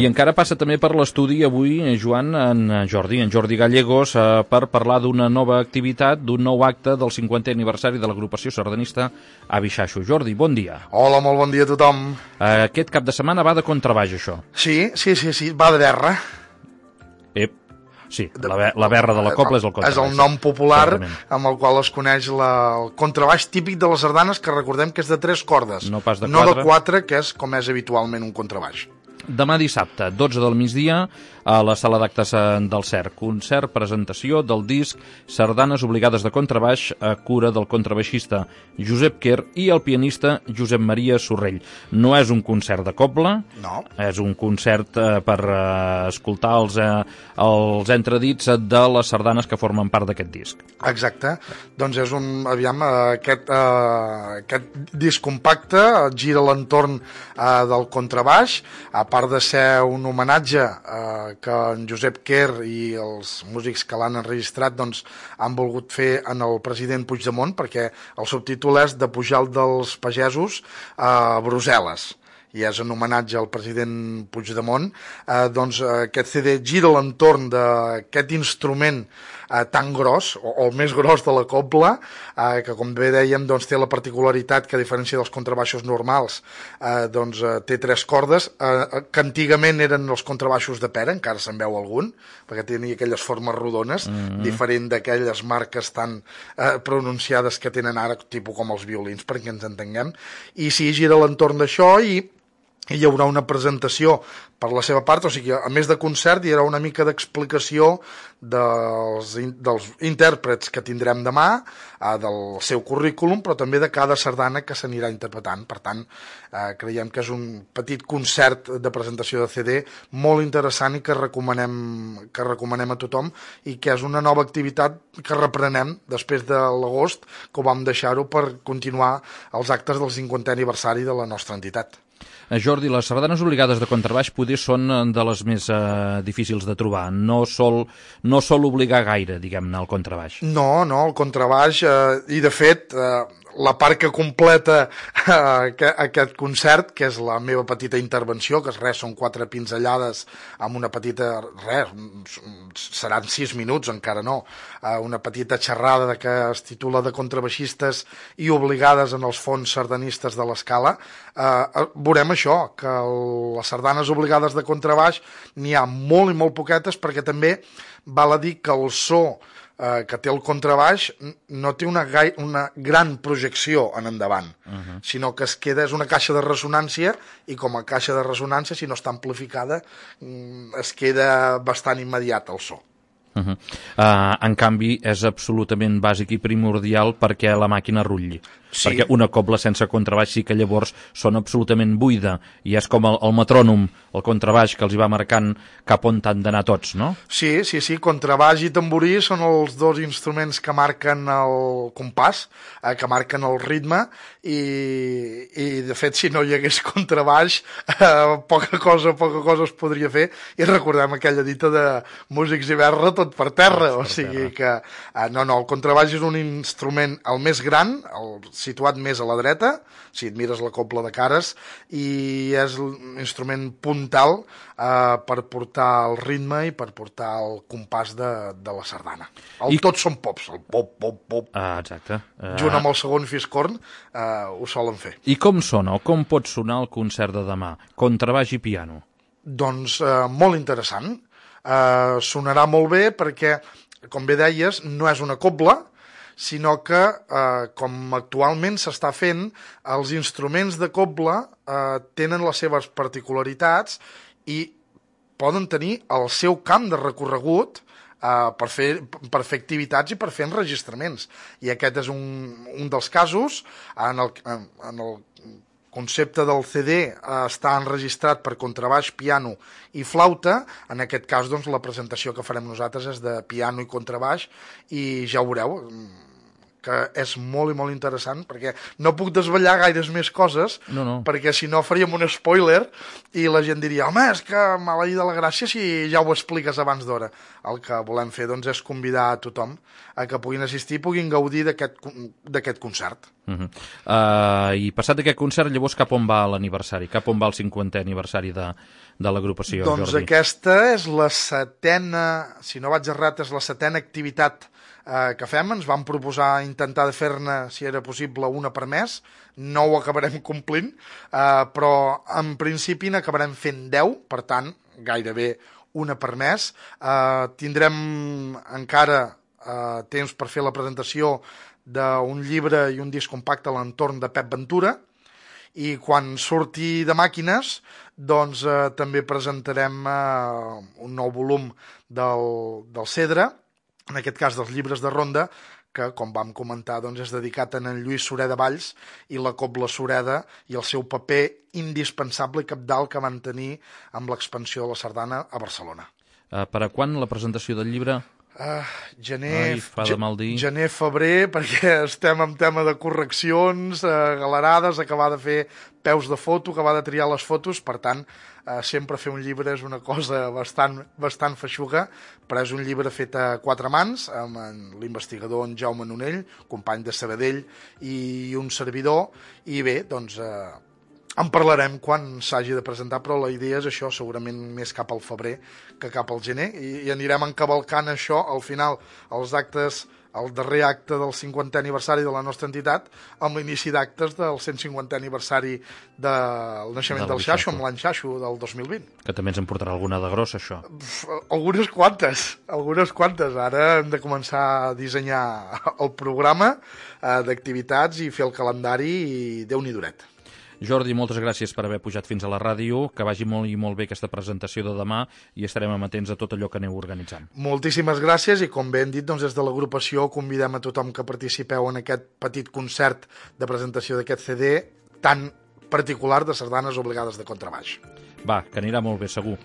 I encara passa també per l'estudi avui, Joan, en Jordi Gallegos, per parlar d'una nova activitat, d'un nou acte del 50è aniversari de l'agrupació sardanista Avi Xaxo. Jordi, bon dia. Hola, molt bon dia a tothom. Aquest cap de setmana va de contrabaix, això. Sí, va de berra. Sí, la berra de la cobla és el contrabaix. És el nom popular amb el qual es coneix el contrabaix típic de les sardanes, que recordem que és de 3 cordes. No pas de 4. No de 4, que és com és habitualment un contrabaix. Demà dissabte, 12 del migdia, a la sala d'actes del CERC. Concert, presentació del disc Sardanes obligades de contrabaix a cura del contrabaixista Josep Quer i el pianista Josep Maria Sorrell. No és un concert de cobla, no. És un concert per escoltar els entredits de les sardanes que formen part d'aquest disc. Exacte. Doncs és aquest disc compacte gira l'entorn del contrabaix, a part de ser un homenatge que en Josep Quer i els músics que l'han enregistrat doncs, han volgut fer en el president Puigdemont, perquè el subtítol és De Pujalt dels Pagesos a Brussel·les, i és en homenatge al president Puigdemont. Doncs aquest CD gira l'entorn d'aquest instrument tan gros, o el més gros de la cobla, que com bé dèiem doncs, té la particularitat que a diferència dels contrabaixos normals doncs, té 3 cordes, que antigament eren els contrabaixos de pera, encara se'n veu algun, perquè tenia aquelles formes rodones, diferent d'aquelles marques tan pronunciades que tenen ara, tipus com els violins, perquè ens entenguem. I sí, gira l'entorn d'això i hi haurà una presentació per la seva part, o sigui, a més de concert hi haurà una mica d'explicació dels intèrprets que tindrem demà, del seu currículum, però també de cada sardana que s'anirà interpretant. Per tant, creiem que és un petit concert de presentació de CD molt interessant i que recomanem a tothom, i que és una nova activitat que reprenem després de l'agost, que ho vam deixar-ho per continuar els actes del 50è aniversari de la nostra entitat. Jordi, les sardanes obligades de contrabaix poder són de les més difícils de trobar. No sol obligar gaire, diguem-ne, el contrabaix. No, el contrabaix, i de fet la part que completa aquest concert, que és la meva petita intervenció, que són 4 pinzellades amb una petita, seran 6 minuts, encara no, una petita xerrada que es titula de contrabaixistes i obligades en els fons sardanistes de l'escala. Veurem això, que les sardanes obligades de contrabaix n'hi ha molt i molt poquetes, perquè també val a dir que el so que té el contrabaix no té una gran projecció en endavant, sinó que és una caixa de ressonància, i com a caixa de ressonància, si no està amplificada, es queda bastant immediat el so. En canvi, és absolutament bàsic i primordial perquè la màquina rutlli. Sí. Perquè una cobla sense contrabaix sí que llavors sona absolutament buida, i és com el metrònom, el contrabaix, que els hi va marcant cap on han d'anar tots, no? Sí, contrabaix i tamborí són els 2 instruments que marquen el compàs, que marquen el ritme, i de fet si no hi hagués contrabaix poca cosa es podria fer, i recordem aquella dita de músics i berra tot per terra, o sigui que el contrabaix és un instrument el més gran, situat més a la dreta, si et mires la cobla de cares, i és l'instrument puntal per portar el ritme i per portar el compàs de la sardana. Tots són pops, el pop, pop, pop. Exacte. Junt amb el segon fiscorn ho solen fer. I com sona, o com pot sonar el concert de demà? Contrabaix i piano. Doncs molt interessant. Sonarà molt bé perquè, com bé deies, no és una cobla, sinó que, com actualment s'està fent, els instruments de cobla tenen les seves particularitats i poden tenir el seu camp de recorregut per fer activitats i per fer enregistraments. I aquest és un dels casos. En el concepte del CD està enregistrat per contrabaix, piano i flauta. En aquest cas, doncs, la presentació que farem nosaltres és de piano i contrabaix, i ja ho veureu, que és molt i molt interessant, perquè no puc desvetllar gaires més coses, perquè si no faríem un spoiler i la gent diria, home, és que maleït de la gràcia si ja ho expliques abans d'hora. El que volem fer doncs, és convidar a tothom a que puguin assistir i puguin gaudir d'aquest concert. I passat aquest concert, llavors cap on va l'aniversari? Cap on va el 50è aniversari de l'agrupació, Jordi? Doncs aquesta és la setena, si no vaig errat, és la setena activitat que fem. Ens vam proposar intentar de fer-ne, si era possible, una per mes. No ho acabarem complint, però en principi n'acabarem fent 10, per tant, gairebé una per mes. Tindrem encara temps per fer la presentació d'un llibre i un disc compacte a l'entorn de Pep Ventura, i quan surti de màquines doncs també presentarem un nou volum del Cedre, en aquest cas dels llibres de ronda, que, com vam comentar, doncs, és dedicat a en Lluís Sureda Valls i la Cobla Sureda i el seu paper indispensable i cabdal que van tenir amb l'expansió de la sardana a Barcelona. Per a quan la presentació del llibre? Gener, febrer, perquè estem en tema de correccions, galerades, acabar de fer peus de foto, acabar de triar les fotos, per tant, sempre fer un llibre és una cosa bastant feixuga, però és un llibre fet a 4 mans, amb l'investigador en Jaume Nonell, company de Sabadell, i un servidor, i bé, doncs en parlarem quan s'hagi de presentar, però la idea és això, segurament més cap al febrer que cap al gener, i anirem encavalcant això al final, els actes, el darrer acte del 50è aniversari de la nostra entitat, amb l'inici d'actes del 150è aniversari del naixement del Xaxo, amb l'any Xaxo del 2020. Que també ens en portarà alguna de grossa, això. Algunes quantes. Ara hem de començar a dissenyar el programa d'activitats i fer el calendari, i Déu-n'hi duret. Jordi, moltes gràcies per haver pujat fins a la ràdio, que vagi molt i molt bé aquesta presentació de demà i estarem amatents a tot allò que aneu organitzant. Moltíssimes gràcies, i com bé hem dit, doncs, des de l'agrupació convidem a tothom que participeu en aquest petit concert de presentació d'aquest CD tan particular de sardanes obligades de contrabaix. Va, que anirà molt bé, segur.